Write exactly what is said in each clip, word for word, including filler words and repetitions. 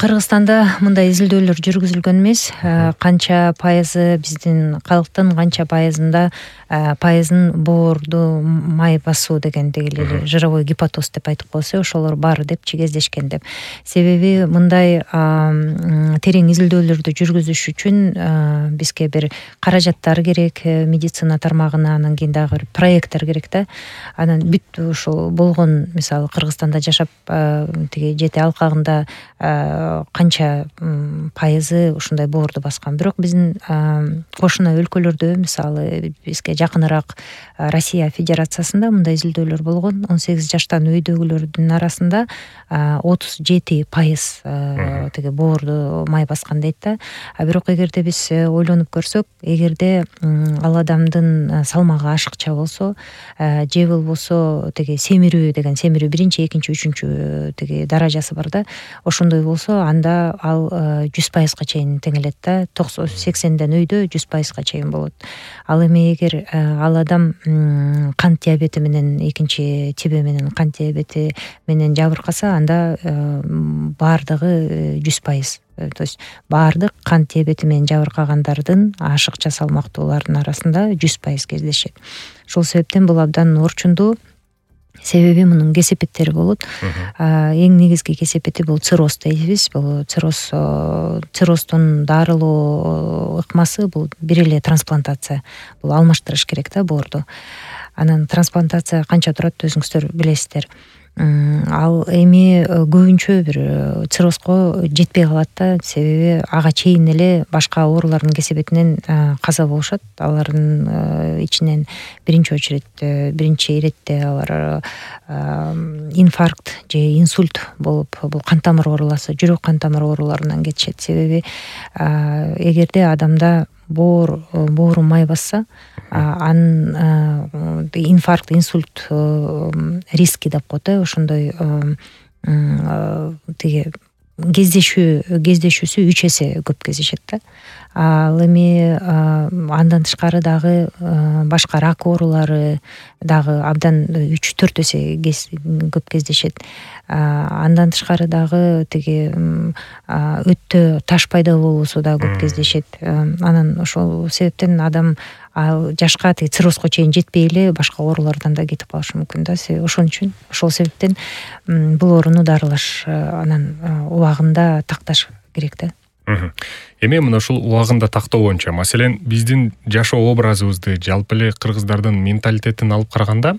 Кыргызстанда мындай изилдөөлөр жүргүзүлгөн эмес. Канча пайызы биздин калктын канча пайызында пайызын боорду май басуу деген дегеле жировой гепатоз деп айтып коесу, ошолор бар деп чегездешкен деп. Себеби мындай терең изилдөөлөрдү жүргүзүш үчүн бизге бир каражаттар керек, медицина тармагына, анан кийин дагы бир проекттер керек да. Анан бүт ушул болгон, мисалы Кыргызстанда жашап тиги жети алкагында канча пайызы ушундай боорду баскан. Бирок биздин кошуна өлкөлөрдө, мисалы бизге жакыныраак Россия Федерациясында мындай изилдөөлөр болгон. он сегиз жаштан өйдөгүлөрдүн арасында отуз жети пайыз тиги боорду май баскан дейт да. А бирок эгерде биз ойлонуп көрсөк, эгерде ал адамдын салмагы ашыкча болсо, же болбосо тиги семирүү деген, семирүү биринчи, экинчи, үчүнчү тиги даражасы бар да. Ошондой болсо, анда ал жүз пайызга чейин теңелет да. сексенден өйдө жүз пайызга чейин болот. Ал эми эгер ал адам кант диабети менен, экинчи тиби менен кант диабети менен жабыркаса, анда баардыгы жүз пайыз. То есть баардык кант диабети менен жабыркагандардын ашыкча салмактуулардын арасында жүз пайыз кездешет. Ошол себептен бул абдан орчундуу. Себеби мунун кесепеттери болот. Эң негизги кесепети бул цирроз дейбиз. Бул цирроз, цирроздун дарылоо ыкмасы бул бир эле трансплантация. Бул алмаштырыш керек да боорду. Анан трансплантация канча турат, өзүңүздөр билесиздер. Ал эми көбүнчө бир циррозго жетпей калат да, себеби ага чейин эле башка оорулардын кесепетинен каза болушат. Алардын ичинен биринчи очередь, биринчи иретте алар инфаркт же инсульт болуп, бул кан тамыр ооруласы, жүрөк кан тамыр ооруларынан кетишет. Себеби эгерде адамда боор боору май басса, анын инфаркт, инсульт риски деп коет. Ошондой тиги кездешүү кездешүүсү үч эсе көп кездешет да. Ал эми андан тышкары дагы башка рак оорулары дагы абдан үч төрт эсе көп кездешет. Андан тышкары дагы тиги өттө таш пайда болуусу да көп кездешет. Анан ошол себептен адам жашка тиги циррозго чейин жетпей эле башка оорулардан да кетип калышы мүмкүн да. Ошон үчүн ошол себептен бул ооруну дарылаш, анан убагында такташ керек да. Эми мына ушул убагында тактоо боюнча, маселен, биздин жашоо образыбызды, жалпы эле кыргыздардын менталитетин алып караганда,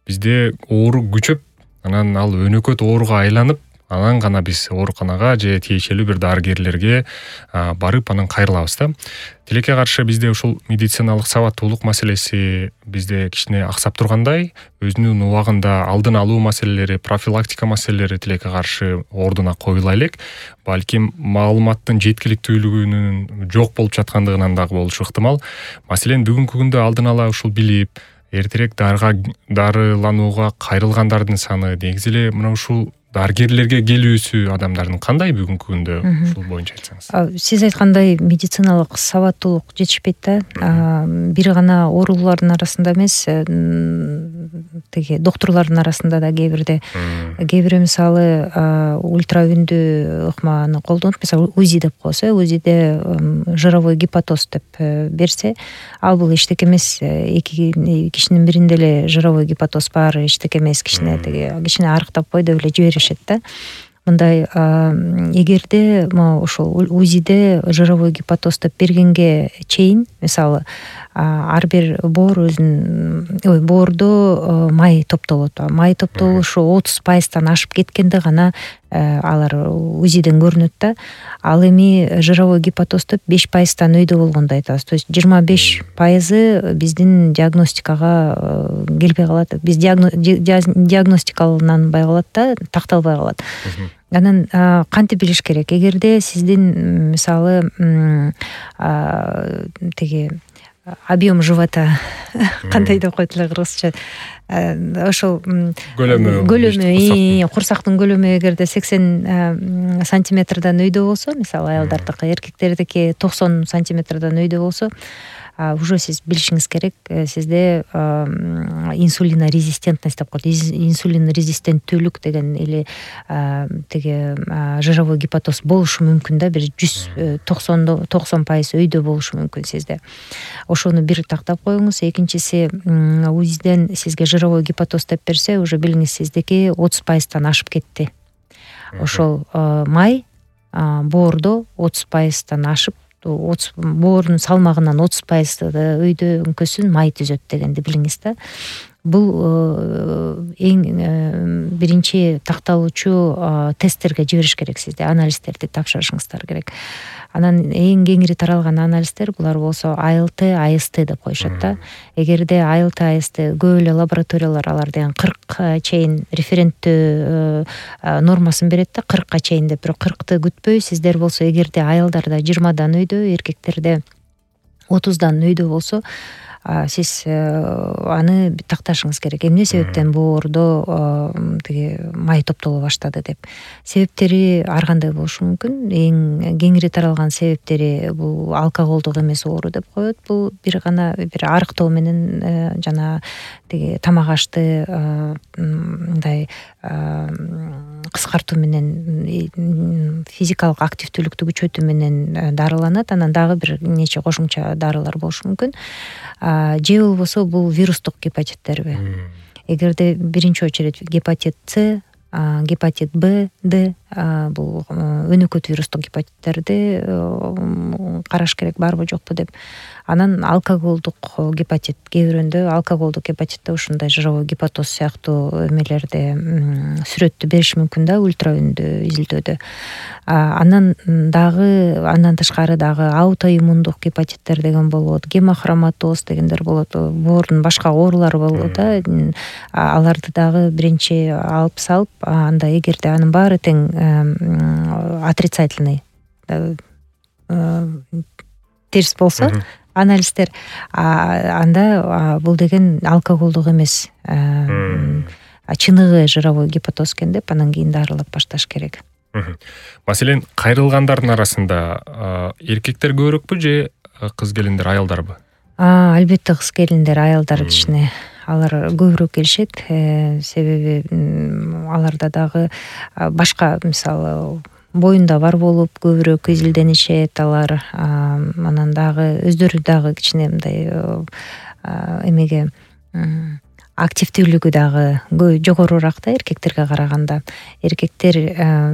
бизде оору күчөп, анан ал өнөкөт ооруга айланып, анан гана биз ооруканага же тиешелүү бир дарыгерлерге барып анан кайрылабыз да. Тилекке каршы бизде ушул медициналык сабаттуулук маселеси бизде кичине аксап тургандай, өзүнүн убагында алдын алуу маселелери, профилактика маселелери тилекке каршы ордуна коюла элек. Балким маалыматтын жеткиликтүүлүгүнүн жок болуп жаткандыгынан дагы болушу ыктымал. Маселен, бүгүнкү күндө алдын ала ушул билип, эртерээк дарыга дарыланууга кайрылгандардын саны, негизи эле мына ушул дарыгерлерге келүүсү адамдардын кандай бүгүнкү күндө, ушул боюнча айтсаңыз? Сиз айткандай медициналык сабаттуулук жетишпейт да. Бир гана оорулардын арасында эмес, тиги доктурлардын арасында да кээ бирде, кээ бири мисалы ультра үндүү ыкманы колдонуп, мисалы УЗИ деп коесу, УЗИде жировой гепатоз деп берсе, ал бул эчтеке эмес, эки кишинин биринде эле жировой гепатоз бар, эчтеке эмес, кичине тиги кичине арыктап кой деп эле жиберишет да. Мындай эгерде ошол УЗИде жировой гепатоз деп бергенге чейин, мисалы, ар бир боор өзүнүн, ой, боордо май топтолот. Май топтолушу отуз пайыздан ашып кеткенде гана алар УЗИден көрүнөт да. Ал эми жировой гепатоз деп беш пайыздан өйдө болгондо айтабыз. То есть жыйырма беш пайызы биздин диагностикага келбей калат. Биз диагностикаланбай калат да, такталбай калат. Анан кантип билиш керек? Эгерде сиздин мисалы тиги объем живота кандай деп коет эле кыргызча, ошол көлөмү көлөмү курсактын көлөмү эгерде сексен сантиметрден өйдө болсо, мисалы аялдардыкы, эркектердики токсон сантиметрден өйдө болсо, уже сиз билишиңиз керек, сизде инсулинорезистентность деп коет, инсулин резистенттүүлүк деген или тиги жировой гепатоз болушу мүмкүн да, бир жүз токсон токсон пайыз өйдө болушу мүмкүн сизде. Ошону бир тактап коюңуз. Экинчиси, УЗИден сизге жировой гепатоз деп берсе, уже билиңиз сиздики отуз пайыздан ашып кетти. Ошол май боордо отуз пайыздан ашып, боордун салмагынан отуз пайыз өйдөңкөсүн май түзөт дегенди билиңиз да. Бул эң биринчи такталуучу тесттерге жибериш керек сизде, анализдерди тапшырышыңыздар керек. Анан эң кеңири таралган анализдер булар болсо А Л Т, А С Т деп коюшат да. Эгерде А Л Т, А С Т көп эле лабораториялар алар деген кыркка чейин референттүү нормасын берет да, кыркка чейин деп. Бирок кыркты күтпөй, сиздер болсо эгерде аялдарда жыйырмадан өйдө, эркектерде отуздан өйдө болсо, сиз аны такташыңыз керек. Эмне себептен боордо тиги май топтоло баштады деп. Себептери ар кандай болушу мүмкүн. Эң кеңири таралган себептери бул алкоголдук эмес оору деп коет. Бул бир гана бир арыктоо менен жана тиги тамак ашты мындай кыскартуу менен, физикалык активдүүлүктү күчөтүү менен дарыланат. Анан дагы бир нече кошумча дарылар болушу мүмкүн. Же болбосо бул вирустук гепатиттерби? Эгерде биринчи очередь гепатит С, гепатит Б, Д, бул өнөкөт вирустук гепатиттерди караш керек, барбы жокпу деп. Анан алкоголдук гепатит, кээ бирөөндө алкоголдук гепатитте ушундай жировой гепатоз сыяктуу эмелерди сүрөттү бериши мүмкүн да, ультраүндү изилдөөдө. Анан дагы андан тышкары дагы аутоиммундук гепатиттер деген болот, гемохроматоз дегендер болот, боордун башка оорулары болот да. Аларды дагы биринчи алып салып, анда эгерде анын баары тең отрицательный терс болсо, анализдер, анда бул деген алкоголдук эмес, чыныгы жировой гепатоз экен деп, анан кийин дарылап башташ керек. Маселен, кайрылгандардын арасында эркектер көбүрөкпү же кыз келиндер, аялдарбы? Албетте кыз келиндер, аялдар кичине алар көбүрөөк келишет. Себеби аларда дагы башка, мисалы, боюнда бар болуп көбүрөөк изилденишет алар. Анан дагы өздөрү дагы кичине мындай эмеге активдүүлүгү дагы жогорураак да эркектерге караганда. Эркектер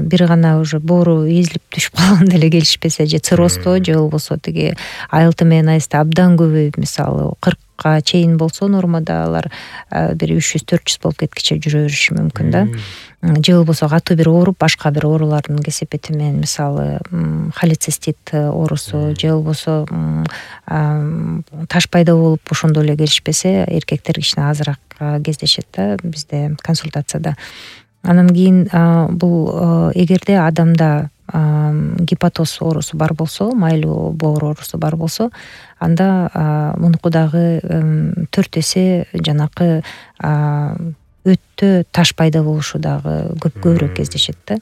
бир гана уже боору эзилип түшүп калганда эле келишпесе, же цирроздо, же болбосо тиги А Л Т менен А С Т абдан көбөйүп, мисалы кыркка чейин болсо нормада алар бир үч жүз төрт жүз болуп кеткиче жүрө бериши мүмкүн да. Же болбосо катуу бир ооруп, башка бир оорулардын кесепети менен, мисалы холецистит оорусу, же болбосо таш пайда болуп ошондо эле келишпесе, эркектер кичине азыраак кездешет да бизде консультацияда. Анан кийин бул эгерде адамда гепатоз оорусу бар болсо, майлуу боор оорусу бар болсо, анда мунуку дагы төрт эсе жанакы өттө таш пайда болушу дагы көп көбүрөөк кездешет да.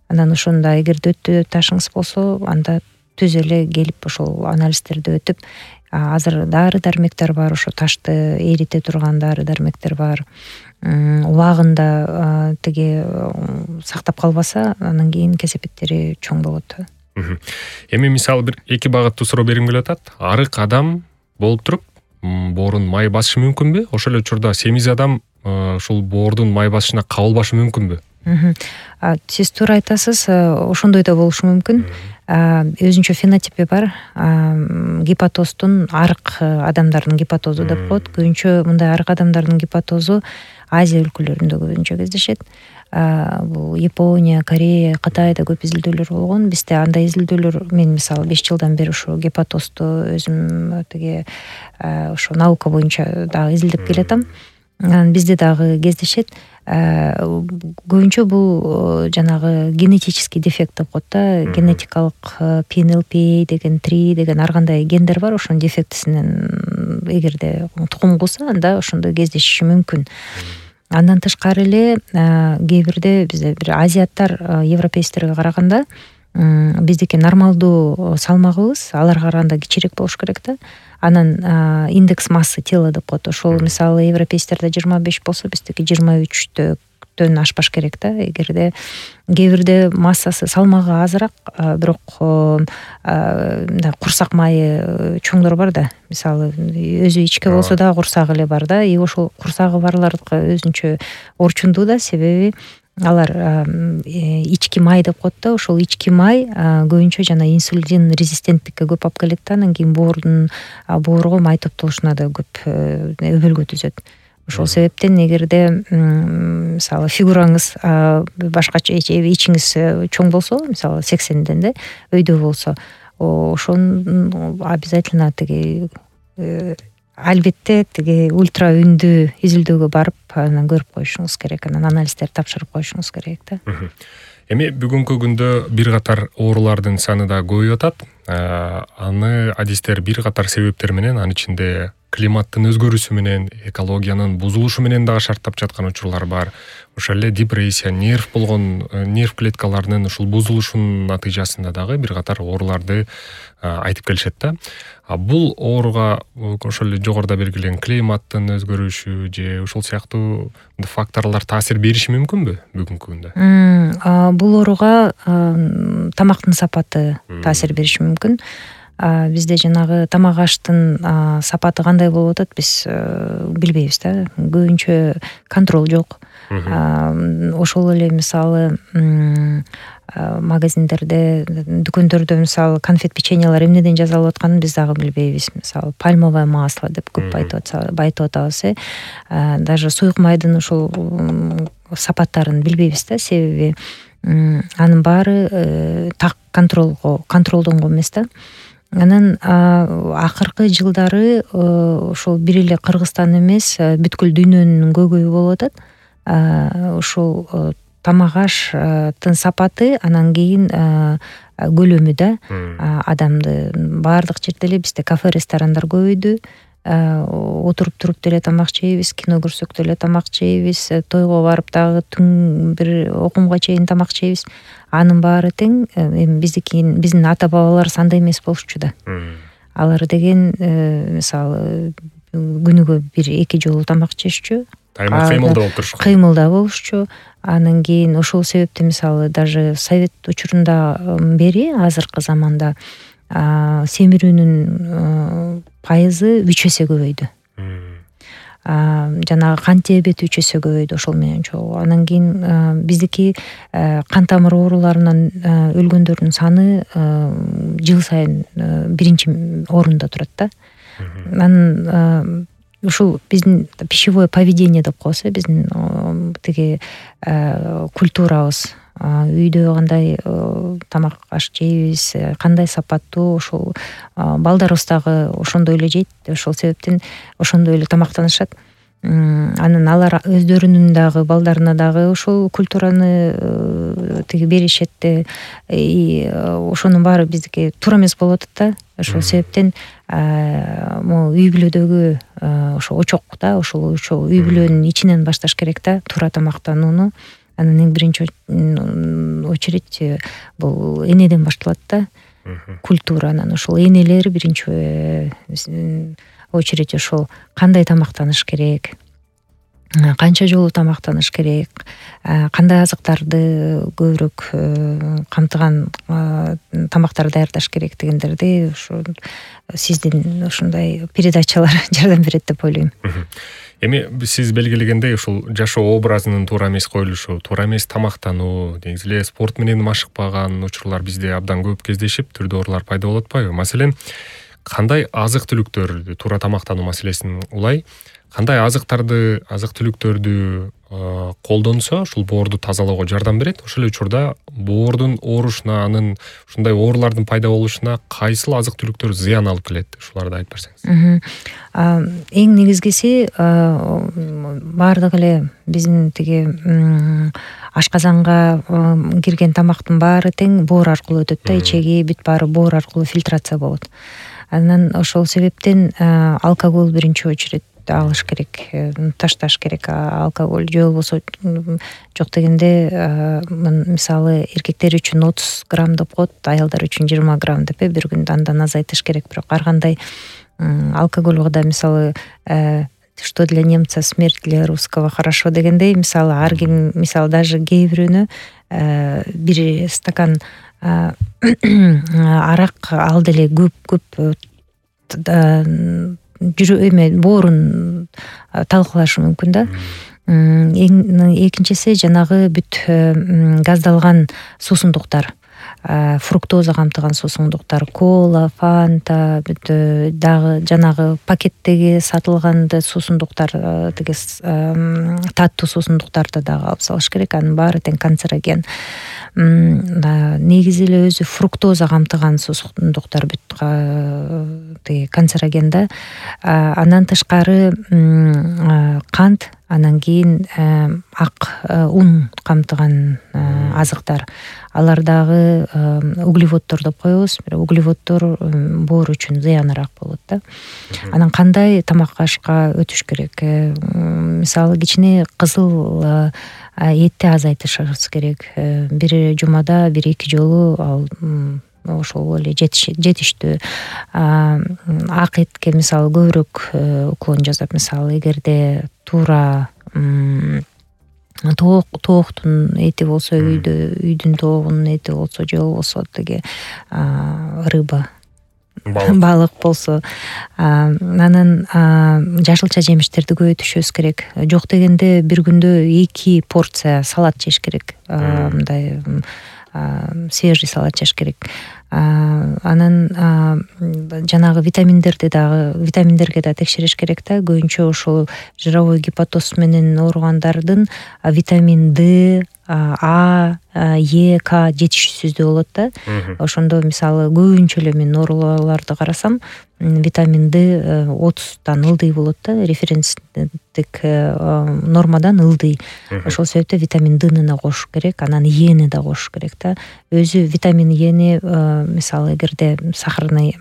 Анан ошондо эгерде өттө ташыңыз болсо, анда түз эле келип ошол анализдерди өтүп, азыр дары дармектер бар, ошо ташты эрите турган дары дармектер бар. Убагында тиги сактап калбаса, анан кийин кесепеттери чоң болот. Эми мисалы бир эки багыттуу суроо бергим келип атат. Арык адам болуп туруп боорун май басышы мүмкүнбү? Ошол эле учурда семиз адам ушул боордун май басышына кабылбашы мүмкүнбү? Сиз туура айтасыз, ошондой да болушу мүмкүн. Өзүнчө фенотипи бар. Гепатоздун арык адамдардын гепатозу деп коет. Көбүнчө мындай арык адамдардын гепатозу Азия өлкөлөрүндө көбүнчө кездешет. Бул Япония, Корея, Кытайда көп изилдөөлөр болгон. Бизде андай изилдөөлөр, мен мисалы беш жылдан бери ушу гепатозду өзүм тиги ошо наука боюнча дагы изилдеп келатам. Бизде дагы кездешет. Көбүнчө бул жанагы генетический дефект деп коет да, генетикалык П Н Л П деген три деген ар кандай гендер бар, ошонун дефектисинен эгерде тукум кылса, анда ошондой кездешиши мүмкүн. Андан тышкары эле кээ бирде бизде бир азиаттар европейцтерге караганда биздики нормалдуу салмагыбыз аларга караганда кичиирээк болуш керек да. Анан индекс массы тела деп коет. Ошол мисалы европейцтерде жыйырма беш болсо, биздики жыйырма үчтөн ашпаш керек да. Эгерде кээ бирде массасы салмагы азыраак, бирок мындай курсак майы чоңдор бар да. Мисалы өзү ичке болсо да курсагы эле бар да. И ошол курсагы барлардыкы өзүнчө орчундуу да, себеби алар ички май деп коет да. Ошол ички май көбүнчө жана инсулин резистенттикке көп алып келет да. Анан кийин боордун боорго май топтолушуна да көп өбөлгө түзөт. Ошол себептен эгерде мисалы фигураңыз башкача, ичиңиз чоң болсо, мисалы сексенден да өйдө болсо, ошону обязательно тиги албетте тиги ультра үндүү изилдөөгө барып анан көрүп коюшуңуз керек, анан анализдерди тапшырып коюшуңуз керек да. Эми бүгүнкү күндө бир катар оорулардын саны да көбөйүп атат. Аны адистер бир катар себептер менен, анын ичинде климаттын өзгөрүүсү менен, экологиянын бузулушу менен дагы шарттап жаткан учурлар бар. Ошол эле депрессия, нерв болгон нерв клеткаларынын ушул бузулушунун натыйжасында дагы бир катар ооруларды айтып келишет да. А бул ооруга ошол эле жогоруда белгилеген климаттын өзгөрүшү же ошол сыяктуу факторлор таасир бериши мүмкүнбү бүгүнкү күндө? Бул ооруга тамактын сапаты таасир бериши мүмкүн. Бизде жанагы тамак аштын сапаты кандай болуп атат, биз билбейбиз да. Көбүнчө контроль жок. Ошол эле мисалы магазиндерде, дүкөндөрдө мисалы конфет, печеньялар эмнеден жасалып атканын биз дагы билбейбиз. Мисалы пальмовое масло деп көп айтып атабыз. Даже суюк майдын ушул сапаттарын билбейбиз да, себеби анын баары так контролго контролдонгон эмес да. Анан акыркы жылдары ошол бир эле Кыргызстан эмес, бүткүл дүйнөнүн көйгөйү болуп атат. Ошол тамак аштын сапаты, анан кийин көлөмү да. Адамды баардык жерде эле бизде кафе, ресторандар көбөйдү. Отуруп туруп деле тамак жейбиз, кино көрсөк деле тамак жейбиз, тойго барып дагы түн бир окумга чейин тамак жейбиз. Анын баары тең эми биздики биздин ата бабалар андай эмес болчу да. Алар деген мисалы күнүгө бир эки жолу тамак жешчү. Дайыма кыймылда болуп турушчу. Кыймылда болушчу. Анан кийин ошол себептен мисалы даже совет учурунда бери азыркы заманда семирүүнүн пайызы үч эсе көбөйдү. Жанагы кант диабети үч эсе көбөйдү ошол менен чогуу. Анан кийин биздики кан тамыр ооруларынан өлгөндөрдүн саны жыл сайын биринчи орунда турат да. Анан ушул биздин пищевое поведение деп коебуз, биздин тиги культурабыз, үйдө кандай тамак аш жейбиз, кандай сапаттуу, ошол балдарыбыз дагы ошондой эле жейт. Ошол себептен ошондой эле тамактанышат. Анан алар өздөрүнүн дагы балдарына дагы ошол культураны тиги беришет. Ошонун баары биздики туура эмес болуп атат да. Ошол себептен могу үй бүлөдөгү ошо очок да, ошол үй бүлөнүн ичинен башташ керек да, туура тамактанууну. Анан эң биринчи очередь бул энеден башталат да, культура. Анан ошол энелер биринчи очередь ошол кандай тамактаныш керек, канча жолу тамактаныш керек, кандай азыктарды көбүрөөк камтыган тамактар даярдаш керек дегендерди ошо сиздин ушундай передачалар жардам берет деп ойлойм. Эми сиз белгилегендей ушул жашоо образынын туура эмес коюлушу, туура эмес тамактануу, негизи эле спорт менен машыкпаган учурлар бизде абдан көп кездешип, түрдүү оорулар пайда болуп атпайбы? Маселен, кандай азык түлүктөрдү, туура тамактануу маселесин улай, кандай азыктарды, азык түлүктөрдү колдонсо ушул боорду тазалоого жардам берет? Ошол эле учурда боордун оорушуна, анын ушундай оорулардын пайда болушуна кайсыл азык түлүктөр зыян алып келет? Ушуларды айтып берсеңиз. Эң негизгиси баардык эле биздин тиги ашказанга кирген тамактын баары тең боор аркылуу өтөт да, ичеги бүт баары боор аркылуу фильтрация болот. Анан ошол себептен алкоголь биринчи очередь алыш керек, ташташ керек алкоголь, же болбосо жок дегенде мисалы эркектер үчүн отуз грамм деп коет, аялдар үчүн жыйырма грамм деп бир күндө андан азайтыш керек. Бирок ар кандай алкоголго мисалы что для немца смерть, для русского хорошо дегендей, мисалы ар ким, мисалы даже кээ бирөөнө бир стакан арак ал деле көп көп жүрө эме боорун талкалашы мүмкүн да. Экинчиси жанагы бүт газдалган суусундуктар, фруктоза камтыган суусундуктар, кола, фанта, бүт дагы жанагы пакеттеги сатылган суусундуктар, тиги таттуу суусундуктарды дагы алып салыш керек. Анын баары тең канцероген. Негизи эле өзү фруктоза камтыган суусундуктар бүт тиги канцероген да. Андан тышкары кант, анан кийин ак ун камтыган азыктар. Алар дагы углеводдор деп коебуз. Бирок углеводдор боор үчүн зыяныраак болот да. Анан кандай тамак ашка өтүш керек? Мисалы кичине кызыл этти азайтышыбыз керек. Бир жумада бир эки жолу ал ошол эле жетиштүү. Ак этке мисалы көбүрөөк уклон жасап, мисалы эгерде туура тоок тооктун эти болсо, үйдө үйдүн тоогунун эти болсо, же болбосо тиги рыба, балык болсо, анан жашылча жемиштерди көбөйтүшүбүз керек. Жок дегенде бир күндө эки порция салат жеш керек. Мындай свежий салат жеш керек. Анан жанагы витаминдерди дагы, витаминдерге да текшериш керек да. Көбүнчө ошол жировой гепатоз менен ооругандардын витамин Д, А, Е, К жетишсиздүү болот да. Ошондо мисалы көбүнчө эле мен ооруларды карасам, витамин Д отуздан ылдый болот да, референстик нормадан ылдый. Ошол себептен витамин Д'ны да кошуш керек, анан Эни да кошуш керек да. Өзү витамин Эни мисалы эгерде сахарный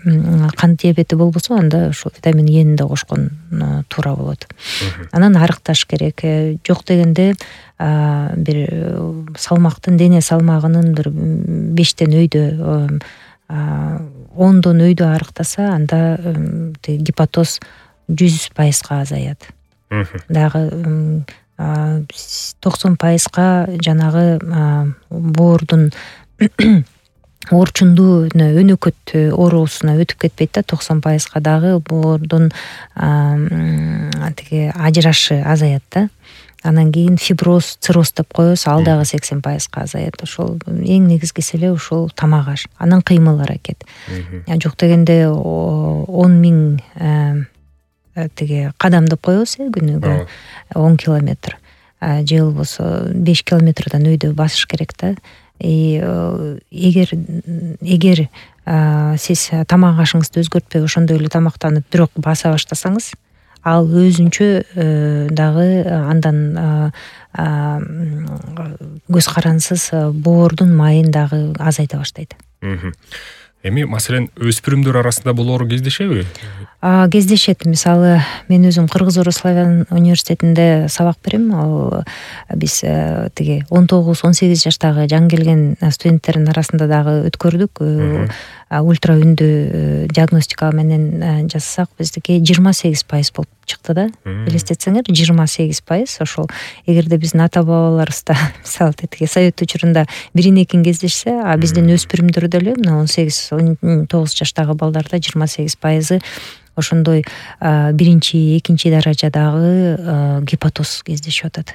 кант диабети болбосо, анда ошо витамин Эни да кошкон туура болот. Анан арыкташ керек. Жок дегенде бир салмактын, дене салмагынын бир бештен өйдө, ондон өйдө арыктаса, анда гепатоз жүз пайызга азаят. Дагы токсон пайызга жанагы боордун оорчундуу өнөкөт оорусуна өтүп кетпейт да. токсон пайызга дагы боордун тиги ажырашы азаят да. Анан кийин фиброз, цирроз деп коебуз, ал дагы сексен пайызга азаят. Ошол эң негизгиси эле ошол тамак аш, анан кыймыл аракет. Жок дегенде он миң тиги кадам деп коебуз күнүгө, он километр, же болбосо беш километрден өйдө басыш керек да. Эгер эгер сиз тамак ашыңызды өзгөртпөй ошондой эле тамактанып, бирок баса баштасаңыз, ал өзүнчө дагы андан көз карансыз боордун майын дагы азайта баштайт. Эми маселен өспүрүмдөр арасында бул оору кездешеби? Кездешет. Мисалы мен өзүм Кыргыз-Орус славян университетинде сабак берем. Ал биз тиги он тогуз он сегиз жаштагы жаңы келген студенттердин арасында дагы өткөрдүк. Ультра үндүү диагностика менен жасасак, биздики жыйырма сегиз пайыз болуп чыкты да. Элестетсеңер, жыйырма сегиз пайыз. Ошол эгерде биздин ата бабаларыбызда мисалы тиги совет учурунда бирин экин кездешсе, а биздин өспүрүмдөрдө эле мына он сегиз он тогуз жаштагы балдарда жыйырма сегиз пайызы ошондой биринчи экинчи даражадагы гепатоз кездешип атат.